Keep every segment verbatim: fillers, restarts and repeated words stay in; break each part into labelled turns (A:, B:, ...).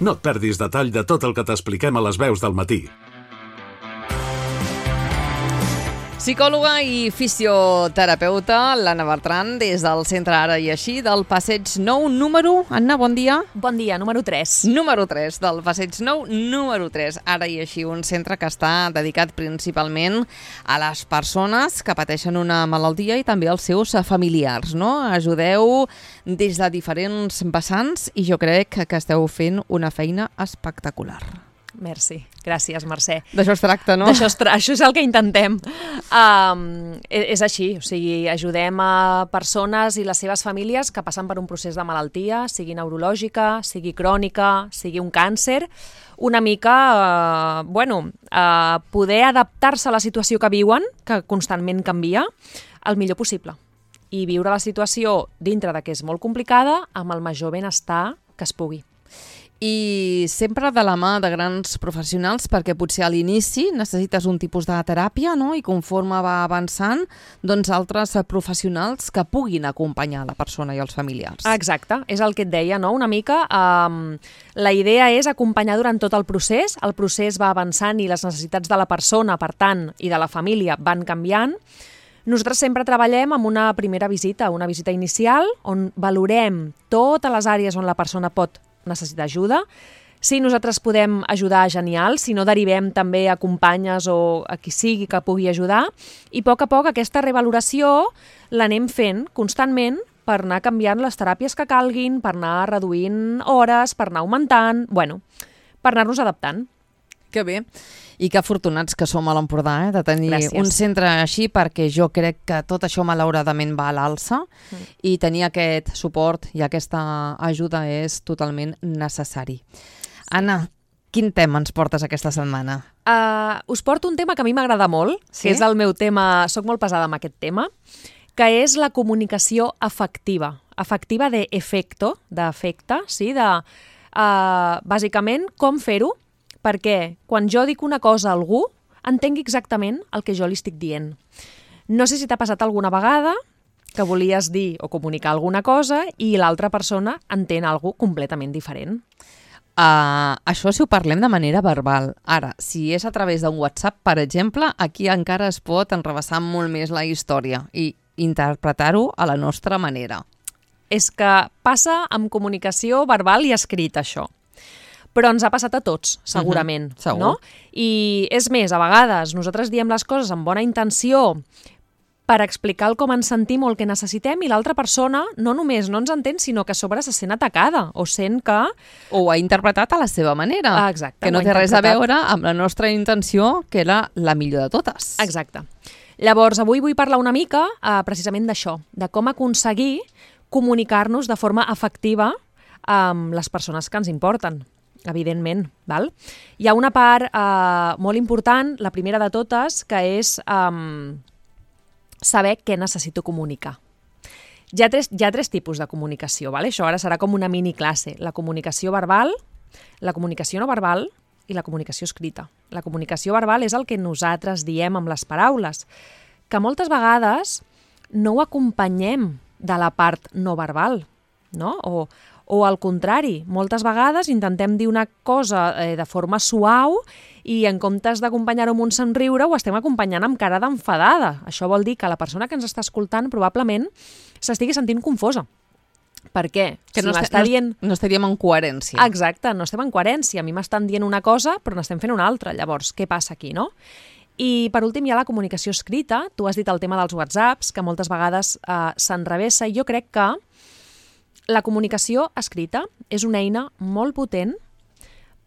A: No et perdis detall de tot el que t'expliquem a les veus del matí.
B: Psicòloga i fisioterapeuta, l'Anna Bertran, des del Centre Ara i Així, del Passeig nou, número... Anna, bon dia.
C: Bon dia, número tres.
B: Número tres, del Passeig nou, número tres. Ara i Així, un centre que està dedicat principalment a les persones que pateixen una malaltia i també als seus familiars, no? Ajudeu des de diferents vessants i jo crec que esteu fent una feina espectacular.
C: Merci. Gràcies, Mercè.
B: D'això es tracta, no?
C: D'això es tra... Això és el que intentem. Um, és així, o sigui, ajudem a persones i les seves famílies que passen per un procés de malaltia, sigui neurològica, sigui crònica, sigui un càncer, una mica, uh, bueno, uh, poder adaptar-se a la situació que viuen, que constantment canvia, el millor possible. I viure la situació dintre de que és molt complicada amb el major benestar que es pugui.
B: I sempre de la mà de grans professionals, perquè potser a l'inici necessites un tipus de teràpia, no? I conforme va avançant, doncs altres professionals que puguin acompanyar la persona i els familiars.
C: Exacte, és el que et deia, no? Una mica, um, la idea és acompanyar durant tot el procés, el procés va avançant i les necessitats de la persona, per tant, i de la família van canviant. Nosaltres sempre treballem amb una primera visita, una visita inicial, on valorem totes les àrees on la persona pot necessita ajuda. Si nosaltres podem ajudar, genial. Si no, derivem també a companyes o a qui sigui que pugui ajudar. I a poc a poc aquesta revaloració l'anem fent constantment per anar canviant les teràpies que calguin, per anar reduint hores, per anar augmentant, bueno, per anar-nos adaptant.
B: Que bé. I que afortunats que som a l'Empordà, eh, de tenir
C: Gràcies.
B: un centre així, perquè jo crec que tot això malauradament va a l'alça mm. i tenir aquest suport i aquesta ajuda és totalment necessari. Sí. Anna, quin tema ens portes aquesta setmana?
C: Uh, us porto un tema que a mi m'agrada molt, sí? Que és el meu tema, soc molt pesada amb aquest tema, que és la comunicació afectiva. Afectiva d'efecto, d'efecte, sí? De, uh, bàsicament, com fer-ho perquè quan jo dic una cosa a algú, entengui exactament el que jo li estic dient. No sé si t'ha passat alguna vegada que volies dir o comunicar alguna cosa i l'altra persona entén alguna cosa completament diferent.
B: Uh, això si ho parlem de manera verbal. Ara, si és a través d'un WhatsApp, per exemple, aquí encara es pot enrevessar molt més la història i interpretar-ho a la nostra manera.
C: És que passa amb comunicació verbal i escrita, això. Però ens ha passat a tots, segurament.
B: Uh-huh, segur.
C: No? I és més, a vegades nosaltres diem les coses amb bona intenció per explicar el com ens sentim o el que necessitem i l'altra persona no només no ens entén, sinó que a sobre se sent atacada o sent que...
B: O ho ha interpretat a la seva manera.
C: Ah, exacte.
B: Que no té res a veure amb la nostra intenció, que era la millor de totes.
C: Exacte. Llavors, avui vull parlar una mica eh, precisament d'això, de com aconseguir comunicar-nos de forma efectiva amb les persones que ens importen. Evidentment, val? Hi ha una part eh, molt important, la primera de totes, que és eh, saber què necessito comunicar. Hi ha tres, hi ha tres tipus de comunicació, val? Això ara serà com una mini classe. La comunicació verbal, la comunicació no verbal i la comunicació escrita. La comunicació verbal és el que nosaltres diem amb les paraules, que moltes vegades no ho acompanyem de la part no verbal, no? O O al contrari, moltes vegades intentem dir una cosa eh, de forma suau i en comptes d'acompanyar-ho amb un somriure ho estem acompanyant amb cara d'enfadada. Això vol dir que la persona que ens està escoltant probablement s'estigui sentint confosa. Per què?
B: Que
C: si
B: no,
C: m'està
B: no,
C: dient...
B: no estaríem en coherència.
C: Exacte, no estem en coherència. A mi m'estan dient una cosa però n'estem fent una altra. Llavors, què passa aquí, no? I per últim hi ha la comunicació escrita. Tu has dit el tema dels WhatsApps, que moltes vegades eh, s'enrevessa i jo crec que la comunicació escrita és una eina molt potent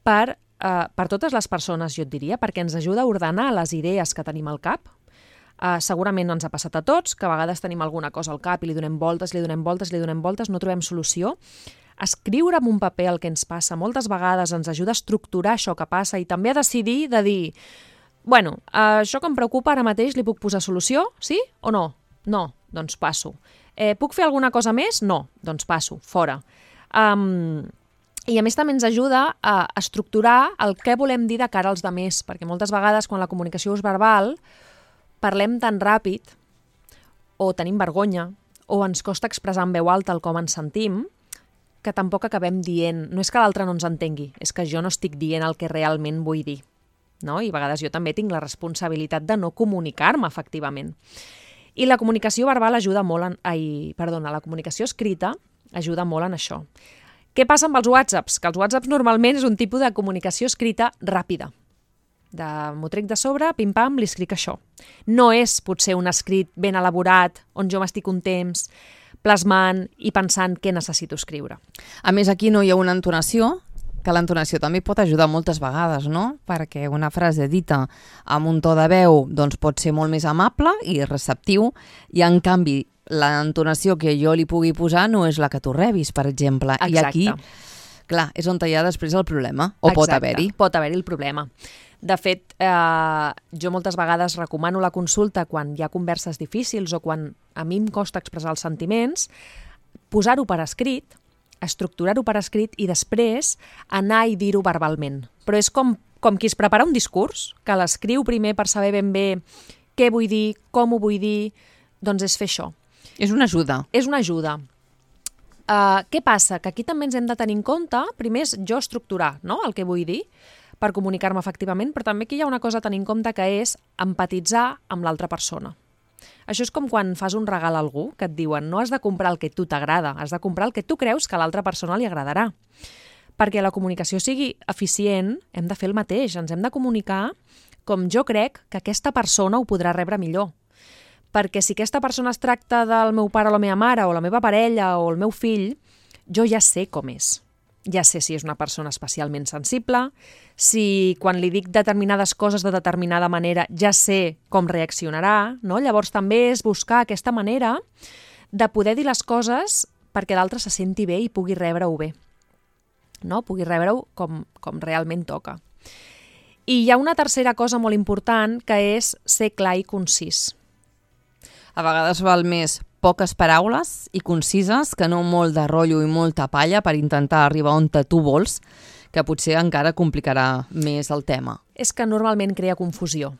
C: per, eh, per totes les persones, jo et diria, perquè ens ajuda a ordenar les idees que tenim al cap. Eh, segurament no ens ha passat a tots, que a vegades tenim alguna cosa al cap i li donem voltes, li donem voltes, li donem voltes, no trobem solució. Escriure en un paper el que ens passa moltes vegades ens ajuda a estructurar això que passa i també a decidir de dir, bueno, eh, això que em preocupa ara mateix li puc posar solució, sí o no? No, doncs passo. Eh, puc fer alguna cosa més? No, doncs passo, fora. Um, I a més també ens ajuda a estructurar el que volem dir de cara als demés, perquè moltes vegades quan la comunicació és verbal parlem tan ràpid o tenim vergonya o ens costa expressar en veu alta el com ens sentim que tampoc acabem dient, no és que l'altre no ens entengui, és que jo no estic dient el que realment vull dir, no? I a vegades jo també tinc la responsabilitat de no comunicar-me efectivament. I la comunicació verbal ajuda molt, en, ai, perdona, la comunicació escrita ajuda molt en això. Què passa amb els whatsapps? Que els whatsapps normalment és un tipus de comunicació escrita ràpida. De m'ho trec de sobre, pim-pam, li escric això. No és potser un escrit ben elaborat, on jo m'estic un temps plasmant i pensant què necessito escriure.
B: A més, aquí no hi ha una entonació, que l'entonació també pot ajudar moltes vegades, no? Perquè una frase dita amb un to de veu doncs pot ser molt més amable i receptiu, i en canvi l'entonació que jo li pugui posar no és la que tu rebis, per exemple.
C: Exacte.
B: I aquí, clar, és on hi ha després el problema, o
C: Exacte.
B: pot haver-hi.
C: Pot haver-hi el problema. De fet, eh, jo moltes vegades recomano la consulta quan hi ha converses difícils o quan a mi em costa expressar els sentiments, posar-ho per escrit, estructurar-ho per escrit i després anar i dir-ho verbalment. Però és com, com qui es prepara un discurs, que l'escriu primer per saber ben bé què vull dir, com ho vull dir, doncs és fer això.
B: És una ajuda.
C: És una ajuda. Uh, què passa? Que aquí també ens hem de tenir en compte, primer és jo estructurar, no?, el que vull dir, per comunicar-me efectivament, però també aquí hi ha una cosa a tenir en compte que és empatitzar amb l'altra persona. Això és com quan fas un regal a algú, que et diuen no has de comprar el que tu t'agrada, has de comprar el que tu creus que a l'altra persona li agradarà. Perquè la comunicació sigui eficient, hem de fer el mateix, ens hem de comunicar com jo crec que aquesta persona ho podrà rebre millor. Perquè si aquesta persona es tracta del meu pare o la meva mare, o la meva parella, o el meu fill, jo ja sé com és. Ja sé si és una persona especialment sensible, si quan li dic determinades coses de determinada manera ja sé com reaccionarà, no? Llavors també és buscar aquesta manera de poder dir les coses perquè l'altre se senti bé i pugui rebre-ho bé, no? Pugui rebre-ho com, com realment toca. I hi ha una tercera cosa molt important que és ser clar i concís.
B: A vegades val més poques paraules i concises que no molt de rotllo i molta palla per intentar arribar on tu vols, que potser encara complicarà més el tema.
C: És que normalment crea confusió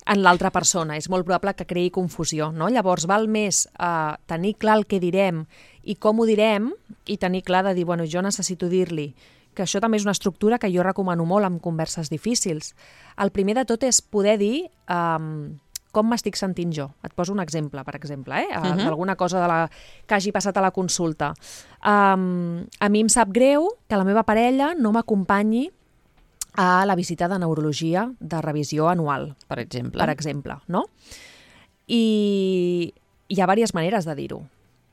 C: en l'altra persona. És molt probable que creï confusió, no? Llavors val més eh, tenir clar el que direm i com ho direm i tenir clar de dir, bueno, jo necessito dir-li, que això també és una estructura que jo recomano molt en converses difícils. El primer de tot és poder dir eh, com m'estic sentint jo. Et poso un exemple, per exemple, eh? Uh-huh. D'alguna cosa de la... que hagi passat a la consulta. Um, a mi em sap greu que la meva parella no m'acompanyi a la visita de neurologia de revisió anual.
B: Per exemple.
C: Per exemple, no? I hi ha diverses maneres de dir-ho.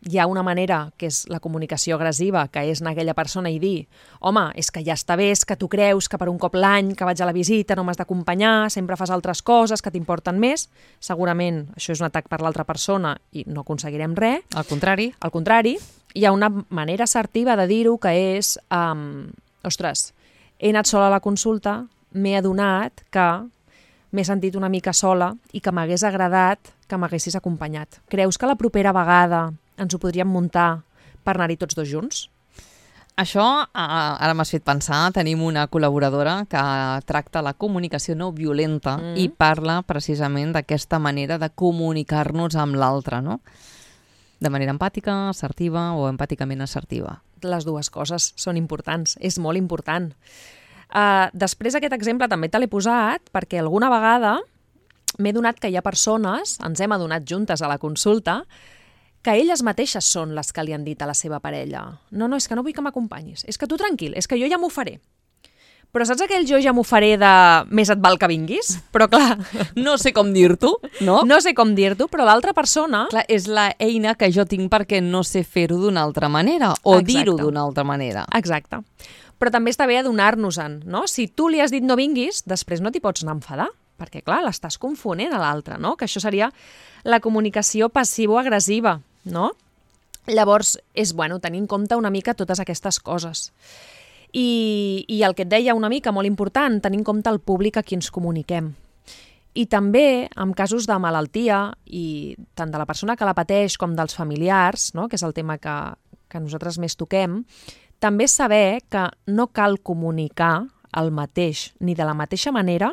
C: Hi ha una manera, que és la comunicació agressiva, que és anar a aquella persona i dir home, és que ja està bé, és que tu creus que per un cop l'any que vaig a la visita no m'has d'acompanyar, sempre fas altres coses que t'importen més. Segurament això és un atac per l'altra persona i no aconseguirem res.
B: Al contrari.
C: Al contrari, hi ha una manera assertiva de dir-ho que és um, ostres, he anat sola a la consulta, m'he adonat que m'he sentit una mica sola i que m'hagués agradat que m'haguessis acompanyat. Creus que la propera vegada ens ho podríem muntar per anar-hi tots dos junts?
B: Això, ara m'has fet pensar, tenim una col·laboradora que tracta la comunicació no violenta mm. i parla precisament d'aquesta manera de comunicar-nos amb l'altre, no? De manera empàtica, assertiva o empàticament assertiva.
C: Les dues coses són importants, és molt important. Uh, després aquest exemple també te l'he posat perquè alguna vegada m'he donat que hi ha persones, ens hem adonat juntes a la consulta, que elles mateixes són les que li han dit a la seva parella no, no, és que no vull que m'acompanyis, és que tu tranquil, és que jo ja m'ho faré. Però saps aquell jo ja m'ho faré de més et val que vinguis? Però clar,
B: no sé com dir-t'ho, no?
C: No sé com dir-t'ho, però l'altra persona...
B: Clar, és la eina que jo tinc perquè no sé fer-ho d'una altra manera o
C: Exacte.
B: dir-ho d'una altra manera.
C: Exacte. Però també està bé adonar-nos-en, no? Si tu li has dit no vinguis, després no t'hi pots anar a enfadar, perquè clar, l'estàs confonent a l'altre, no? Que això seria la comunicació passivo-agressiva, no? Llavors, és bueno tenir en compte una mica totes aquestes coses. I, i el que et deia una mica, molt important, tenir en compte el públic a qui ens comuniquem. I també, en casos de malaltia, i tant de la persona que la pateix com dels familiars, no? Que és el tema que, que nosaltres més toquem, també saber que no cal comunicar el mateix, ni de la mateixa manera,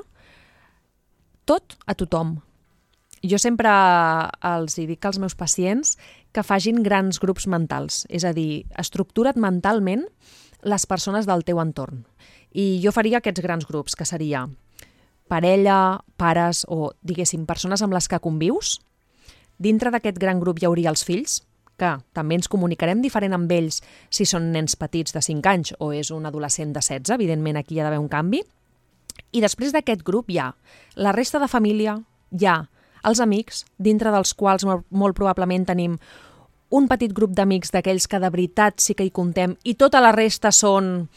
C: tot a tothom. Jo sempre els dic als meus pacients que fagin grans grups mentals. És a dir, estructura't mentalment les persones del teu entorn. I jo faria aquests grans grups, que seria parella, pares o, diguéssim, persones amb les que convius. Dintre d'aquest gran grup hi hauria els fills, que també ens comunicarem diferent amb ells si són nens petits de cinc anys o és un adolescent de setze, evidentment aquí hi ha d'haver un canvi. I després d'aquest grup hi ha la resta de família, hi ha els amics, dintre dels quals molt, molt probablement tenim un petit grup d'amics d'aquells que de veritat sí que hi contem i tota la resta són...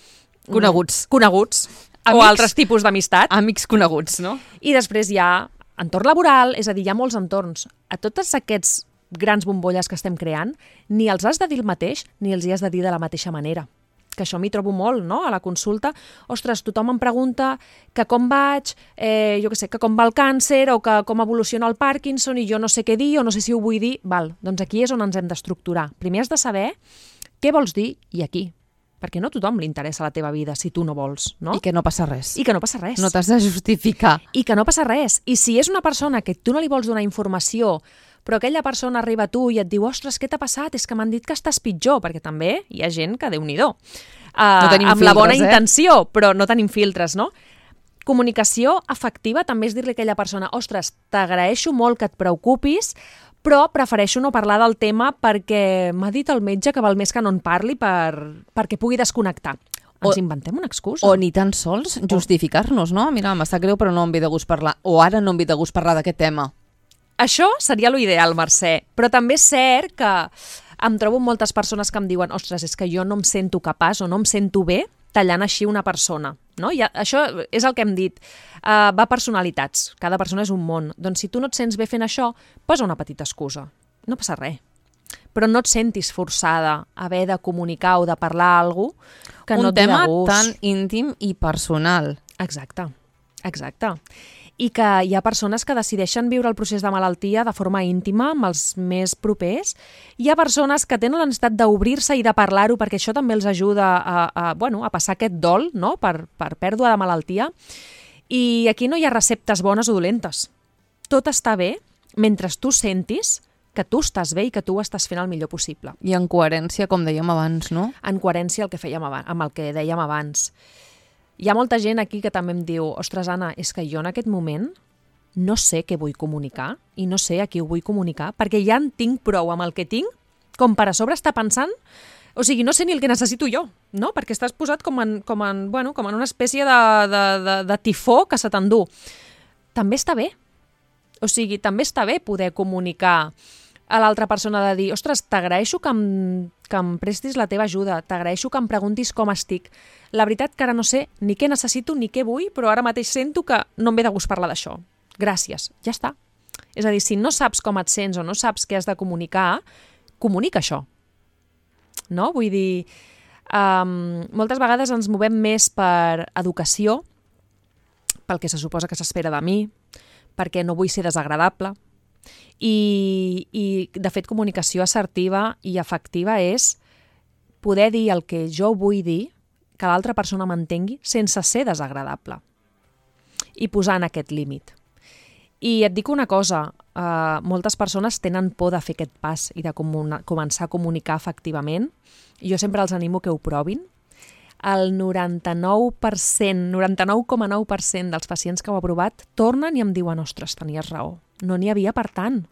B: Coneguts.
C: Coneguts.
B: Amics,
C: o altres tipus d'amistat.
B: Amics coneguts, no?
C: I després hi ha entorn laboral, és a dir, hi ha molts entorns. A tots aquests grans bombolles que estem creant, ni els has de dir el mateix, ni els hi has de dir de la mateixa manera. Que això m'hi trobo molt, no?, a la consulta. Ostres, tothom em pregunta que com vaig, eh, jo què sé, que com va el càncer o que com evoluciona el Parkinson i jo no sé què dir o no sé si ho vull dir. Val, doncs aquí és on ens hem d'estructurar. Primer has de saber què vols dir i aquí. Perquè no a tothom li interessa la teva vida si tu no vols, no?
B: I que no passa res.
C: I que no passa res.
B: No t'has de justificar.
C: I que no passa res. I si és una persona que tu no li vols donar informació, però aquella persona arriba a tu i et diu ostres, què t'ha passat? És que m'han dit que estàs pitjor, perquè també hi ha gent que Déu-n'hi-do. Uh,
B: no tenim
C: amb
B: filtres,
C: la bona
B: eh?
C: intenció, però no tenim filtres, no? Comunicació afectiva també és dir-li a aquella persona ostres, t'agraeixo molt que et preocupis, però prefereixo no parlar del tema perquè m'ha dit el metge que val més que no en parli per, perquè pugui desconnectar. Ens o, inventem una excusa.
B: O ni tan sols justificar-nos, no? Mira, m'està greu però no em ve de gust parlar. O ara no em ve de gust parlar d'aquest tema.
C: Això seria l'ideal, Mercè. Però també és cert que em trobo moltes persones que em diuen ostres, és que jo no em sento capaç o no em sento bé tallant així una persona. No? I això és el que hem dit. Uh, va a personalitats. Cada persona és un món. Doncs si tu no et sents bé fent això, posa una petita excusa. No passa res. Però no et sentis forçada a haver de comunicar o de parlar alguna cosa que
B: un
C: no et ve de gust.
B: Un tema tan íntim i personal.
C: Exacte, exacte. I que hi ha persones que decideixen viure el procés de malaltia de forma íntima amb els més propers. Hi ha persones que tenen la necessitat d'obrir-se i de parlar-ho perquè això també els ajuda a, a, bueno, a passar aquest dol, no?, per, per pèrdua de malaltia. I aquí no hi ha receptes bones o dolentes. Tot està bé mentre tu sentis que tu estàs bé i que tu ho estàs fent el millor possible.
B: I en coherència, com dèiem abans, no?
C: En coherència el que fèiem abans, amb el que dèiem abans. Hi ha molta gent aquí que també em diu ostres, Anna, és que jo en aquest moment no sé què vull comunicar i no sé a qui ho vull comunicar perquè ja en tinc prou amb el que tinc com per a sobre estar pensant, o sigui, no sé ni el que necessito jo, no? Perquè estàs posat com en, com en, bueno, com en una espècie de, de, de, de tifó que se t'endú. També està bé. O sigui, també està bé poder comunicar a l'altra persona de dir ostres, t'agraeixo que em, que em prestis la teva ajuda, t'agraeixo que em preguntis com estic. La veritat que ara no sé ni què necessito ni què vull, però ara mateix sento que no em ve de gust parlar d'això. Gràcies, ja està. És a dir, si no saps com et sents o no saps què has de comunicar, comunica això. No? Vull dir, um, moltes vegades ens movem més per educació, pel que se suposa que s'espera de mi, perquè no vull ser desagradable. I, i, de fet, comunicació assertiva i efectiva és poder dir el que jo vull dir, que l'altra persona m'entengui sense ser desagradable i posar en aquest límit. I et dic una cosa, eh, moltes persones tenen por de fer aquest pas i de comuna, començar a comunicar efectivament. Jo sempre els animo que ho provin. El noranta-nou per cent, noranta-nou coma nou per cent dels pacients que ho ha provat tornen i em diuen ostres, tenies raó, no n'hi havia per tant.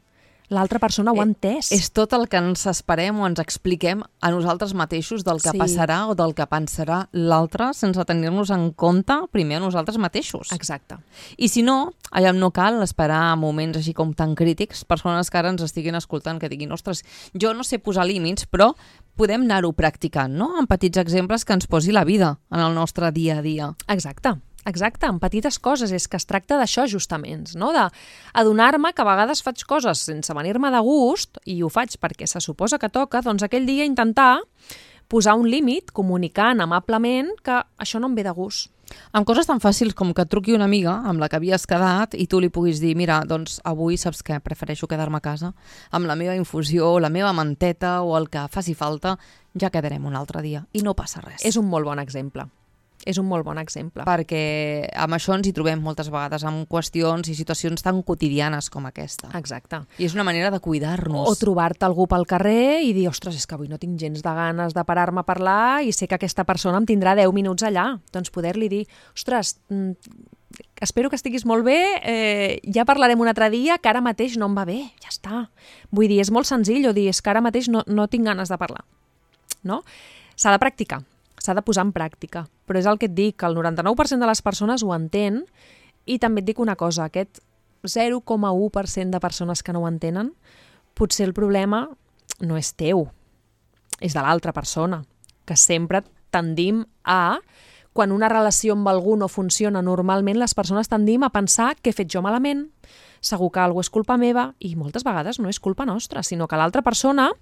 C: L'altra persona ho ha entès.
B: És tot el que ens esperem o ens expliquem a nosaltres mateixos del que
C: Sí.
B: passarà o del que pensarà l'altre sense tenir-nos en compte primer a nosaltres mateixos.
C: Exacte.
B: I si no, allà no cal esperar moments així com tan crítics, persones que ara ens estiguin escoltant que diguin ostres, jo no sé posar límits, però podem anar-ho practicant, no? Amb petits exemples que ens posi la vida en el nostre dia a dia.
C: Exacte. Exacte, en petites coses, és que es tracta d'això justament, no? D'adonar-me que a vegades faig coses sense venir-me de gust, i ho faig perquè se suposa que toca, doncs aquell dia intentar posar un límit, comunicant amablement que això no em ve de gust.
B: Amb coses tan fàcils com que et truqui una amiga amb la que havies quedat i tu li puguis dir mira, doncs avui saps què, prefereixo quedar-me a casa amb la meva infusió, la meva manteta o el que faci falta, ja quedarem un altre dia i no passa res.
C: És un molt bon exemple. És un molt bon exemple.
B: Perquè amb això ens hi trobem moltes vegades, amb qüestions i situacions tan quotidianes com aquesta.
C: Exacte.
B: I és una manera de cuidar-nos.
C: O trobar-te algú pel carrer i dir, ostres, és que avui no tinc gens de ganes de parar-me a parlar i sé que aquesta persona em tindrà deu minuts allà. Doncs poder-li dir, ostres, espero que estiguis molt bé, eh, ja parlarem un altre dia, que ara mateix no em va bé, ja està. Vull dir, és molt senzill o dir, és que ara mateix no, no tinc ganes de parlar. No? S'ha de practicar. S'ha de posar en pràctica, però és el que et dic, que el noranta-nou per cent de les persones ho entén i també et dic una cosa, aquest zero coma u per cent de persones que no ho entenen, potser el problema no és teu, és de l'altra persona, que sempre tendim a, quan una relació amb algú no funciona normalment, les persones tendim a pensar que he fet jo malament, segur que alguna cosa és culpa meva i moltes vegades no és culpa nostra, sinó que l'altra persona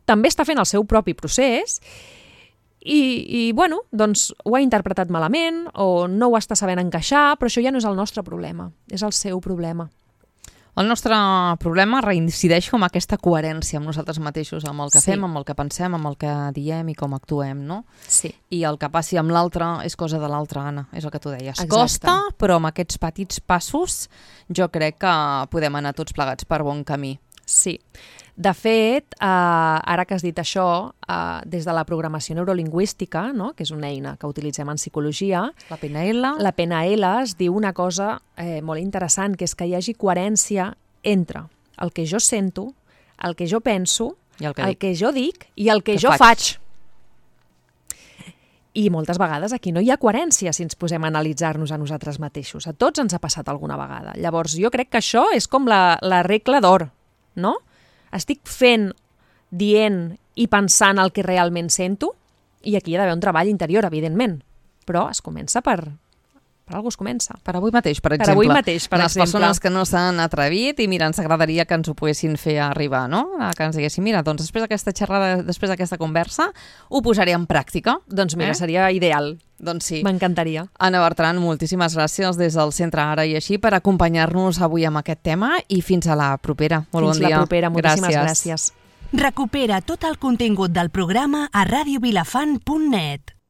C: també està fent el seu propi procés I, i bueno, doncs ho ha interpretat malament o no ho està sabent encaixar, però això ja no és el nostre problema, és el seu problema.
B: El nostre problema reincideix com aquesta coherència amb nosaltres mateixos, amb el que sí. fem, amb el que pensem, amb el que diem i com actuem, no?
C: Sí.
B: I el que passi amb l'altre és cosa de l'altre, Anna, és el que tu deies.
C: Exacte.
B: Costa, però amb aquests petits passos jo crec que podem anar tots plegats per bon camí.
C: Sí. De fet, eh, ara que has dit això, eh, des de la programació neurolingüística, no? Que és una eina que utilitzem en psicologia,
B: la P N L,
C: la P N L es diu una cosa eh, molt interessant, que és que hi hagi coherència entre el que jo sento, el que jo penso,
B: I el que,
C: el
B: dic.
C: que jo dic i el que,
B: que
C: jo
B: faig.
C: faig. I moltes vegades aquí no hi ha coherència si ens posem a analitzar-nos a nosaltres mateixos. A tots ens ha passat alguna vegada. Llavors, jo crec que això és com la, la regla d'or, no? Estic fent, dient i pensant el que realment sento i aquí hi ha d'haver un treball interior, evidentment, però es comença per... Per alguna cosa es comença.
B: Per avui mateix, per exemple.
C: Per avui mateix, per
B: Les
C: exemple.
B: persones que no s'han atrevit i mira, ens agradaria que ens ho poguessin fer arribar, no? Que ens diguessin, mira, doncs després d'aquesta xerrada, després d'aquesta conversa, ho posaré en pràctica.
C: Doncs mira,
B: eh?
C: seria ideal.
B: Doncs sí.
C: M'encantaria.
B: Anna Bertran, moltíssimes gràcies des del Centre Ara i Així per acompanyar-nos avui amb aquest tema i fins a la propera. Molt
C: fins
B: bon dia.
C: Fins la propera, moltíssimes
B: gràcies.
C: gràcies.
D: Recupera tot el contingut del programa a radio vilafant punt net.